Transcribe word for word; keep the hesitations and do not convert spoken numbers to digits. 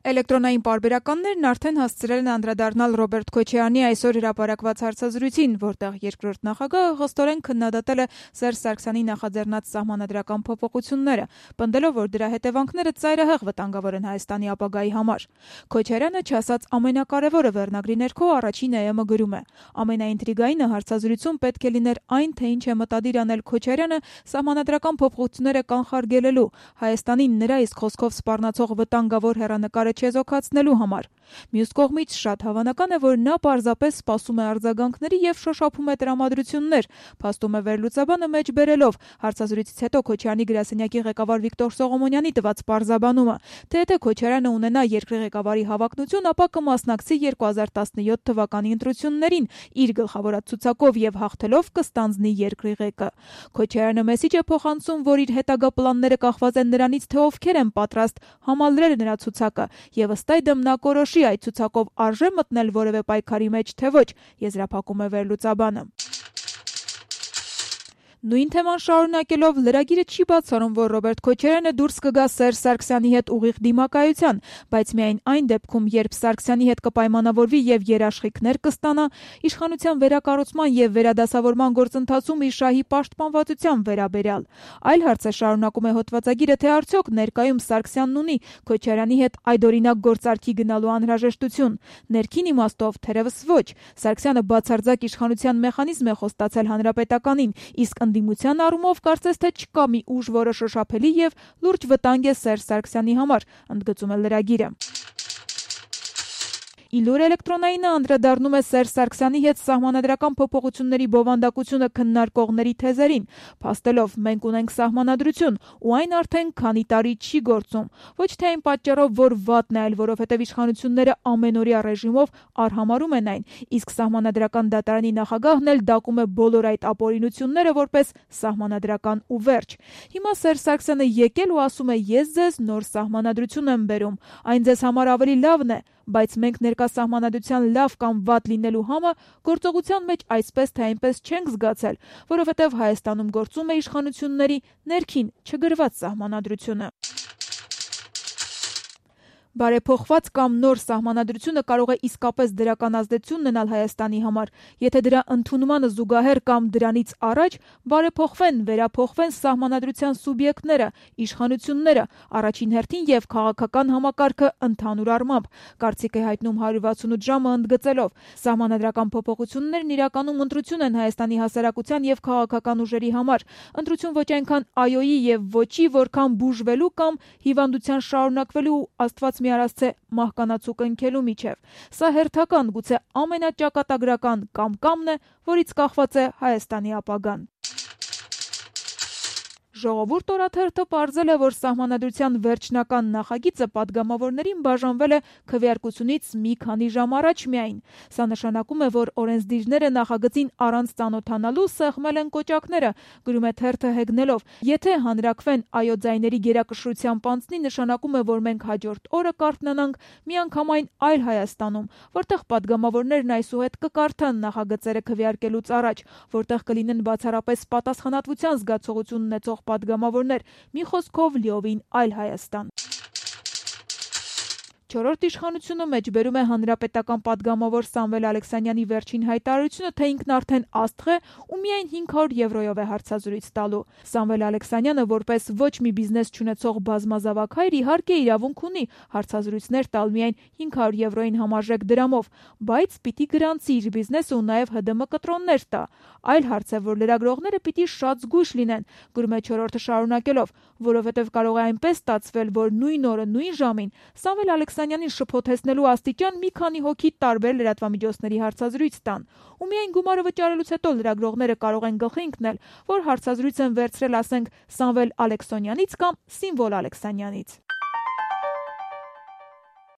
Էլեկտրոնային պարբերականներն արդեն հասցրել են անդրադառնալ Ռոբերտ Քոչարյանի այսօր հրապարակված հարցազրույցին, որտեղ երկրորդ նախագահը խստորեն քննադատել է Սերժ Սարգսյանի նախաձեռնած սահմանադրական փոփոխությունները, պնդելով, որ դրա հետևանքները ծայրահեղ վտանգավոր են Հայաստանի ապագայի համար։ Քոչարյանը չասած ամենակարևորը վերնագրի ներքո առաջին էեմը գրում է. ամենաինտրիգայինը հարցազրույցում պետք է լիներ այն, թե ինչ է մտադիր անել Քոչարյանը սահմանադրական փոփոխությունները կանխարգելելու, Հայաստանին նրա իսկ խոսքով սպառնացող վտանգավոր հեռանկարը չեզոքացնելու համար։ Մյուս կողմից շատ հավանական է, որ նա պարզապես սպասում է արձագանքների եւ շոշափում է տրամադրություններ, փաստում է վերլուծաբանը մեջ բերելով հարցազրույցից հետո Քոչարյանի գրասենյակի ղեկավար Վիկտոր Սողոմոնյանի տված պարզաբանումը, թե եթե Քոչարյանը ունենա երկրի ղեկավարի հավակնություն, ապա կմասնակցի երկու հազար տասնյոթ թվականի ընտրություններին իր գլխավորած ցուցակով եւ հաղթելով կստանձնի երկրի ղեկը։ Քոչարյանը մեսիջ է փոխանցում, որ իր հետագա պլանները կախված են նրանից, թե ովքեր են պատրաստ համալրել նրա ցուցակը, եւ ըստ այդմ նա կորոշի այդ ցուցակով արժե մտնել որևէ պայքարի մեջ, թե ոչ, եզրափակում է վերլուծաբանը։ Նույն թեման շարունակելով լրագիրը չի բացառում, որ Ռոբերտ Քոչարյանը դուրս կգա Սերժ Սարգսյանի հետ ուղիղ դիմակայության, բայց միայն այն դեպքում, երբ Սարգսյանի հետ կպայմանավորվի եւ երաշխիքներ կստանա իշխանության վերակառուցման եւ վերադասավորման գործընթացում իր շահի պաշտպանվածության վերաբերյալ։ Այլ հարց է, շարունակում է հոդվածագիրը, թե արդյոք ներկայում Սարգսյանն ունի Քոչարյանի հետ այդօրինակ գործարքի գնալու անհրաժեշտություն։ Ներքին իմաստով թերևս ոչ։ Սարգսյանը բացարձակ իշխանության մեխանիզմ է խոստացել հանրապետականին, իսկ ընդդիմության առումով կարծես թե չկա մի ուժ, որը շոշափելի եւ լուրջ վտանգ է Սերժ Սարգսյանի համար, ընդգծում է լրագիրը։ Իլուր էլեկտրոնայինը անդրադառնում է Սերժ Սարգսյանի հետ սահմանադրական փոփոխությունների բովանդակությունը քննարկողների թեզերին, փաստելով մենք ունենք սահմանադրություն, ու այն արդեն քանի տարի չի գործում, ոչ թե այն պատճառով, որ վատն է, այլ որովհետև իշխանությունները ամենօրյա ռեժիմով արհամարհում են այն, իսկ սահմանադրական դատարանի նախագահն էլ դակում է բոլոր այդ ապօրինությունները որպես սահմանադրական ու վերջ։ Հիմա Սերժ Սարգսյանը եկել ու ասում է՝ ես ձեզ նոր սահմանադրություն եմ բերում, այն ձեզ համար ավելի լավն է, բայց մենք ներկա սահմանադրության լավ կամ վատ լինելու համը գործողության մեջ այսպես թե այնպես չենք զգացել, որովհետև Հայաստանում գործում է իշխանությունների ներքին չգրված սահմանադրությունը։ Բարեփոխված կամ նոր սահմանադրությունը կարող է իսկապես դրական ազդեցություն ունենալ Հայաստանի համար, եթե դրա ընդունմանը զուգահեռ կամ դրանից առաջ բարեփոխվեն, վերափոխվեն սահմանադրության սուբյեկտները, իշխանությունները, առաջին հերթին եւ քաղաքական համակարգը ընդհանուր առմամբ, կարծիք է հայտնում հարյուր վաթսունութ ժամը ընդգծելով. սահմանադրական փոփոխություններն իրականում ընտրություն են Հայաստանի հասարակության եւ քաղաքական ուժերի համար, ընտրություն ոչ այնքան այոյի եւ ոչի, որքան բուժվելու կամ հիվանդության շարունակվելու Աստված մի արածե մահկանացու կնքելու միջև։ Սա հերթական, գուցե ամենաճակատագրական կամ-կամն է, որից կախված է Հայաստանի ապագան։ Ժողովուրդ օրաթերթը պարզել է, որ սահմանադրության վերջնական նախագիծը պատգամավորներին բաժանվել է քվեարկությունից մի քանի ժամ առաջ միայն։ Սա նշանակում է, որ օրենսդիրները նախագծին առանց ծանոթանալու սեղմել են կոճակները, գրում է թերթը հեգնելով. եթե հանրակվեն այո ձայների գերակշռությամբ անցնի, նշանակում է, որ մենք հաջորդ օրը կարթնանանք միանգամայն այլ Հայաստանում, որտեղ պատգամավորներն այսուհետ կկարդան նախագծերը քվեարկելուց առաջ, որտեղ կլինեն բացառապես պատասխանատվության զգացողություն ունեցող պատգամավորներ, մի խոսքով լիովին այլ Հայաստան։ Չորրորդ իշխանությունը մեջբերում է հանրապետական պատգամավոր Սամվել Ալեքսանյանի վերջին հայտարարությունը, թե ինքն արդեն աստղ է ու միայն հինգ հարյուր եվրոյով է հարցազրույց տալու։ Սամվել Ալեքսանյանը որպես ոչ մի բիզնես չունեցող բազմազավակ հայր իհարկե իրավունք ունի հարցազրույցներ տալ միայն հինգ հարյուր եվրոյին համարժեք դրամով, բայց պիտի գրանցի իր բիզնեսը ու նաև Հ D M կտրոններ տա։ Այլ հարց է, որ լրագրողները պիտի շատ զգույշ լինեն, գրում է չորրորդը շարունակելով, որովհետև կարող է այնպես ստացվել, որ նույն օրը, նույն ժամին Սամվել Ալեքսանյանին շփոթեցնելու աստիճան մի քանի հոգի տարբեր լրատվամիջոցների հարցազրույց տան, ու միայն գումարը վճարելուց հետո լրագրողները կարող են գլխի ընկնել, որ հարցազրույց են վերցրել, ասենք, Սամվել Ալեքսանյանից կամ Սիմվոլ Ալեքսանյանից։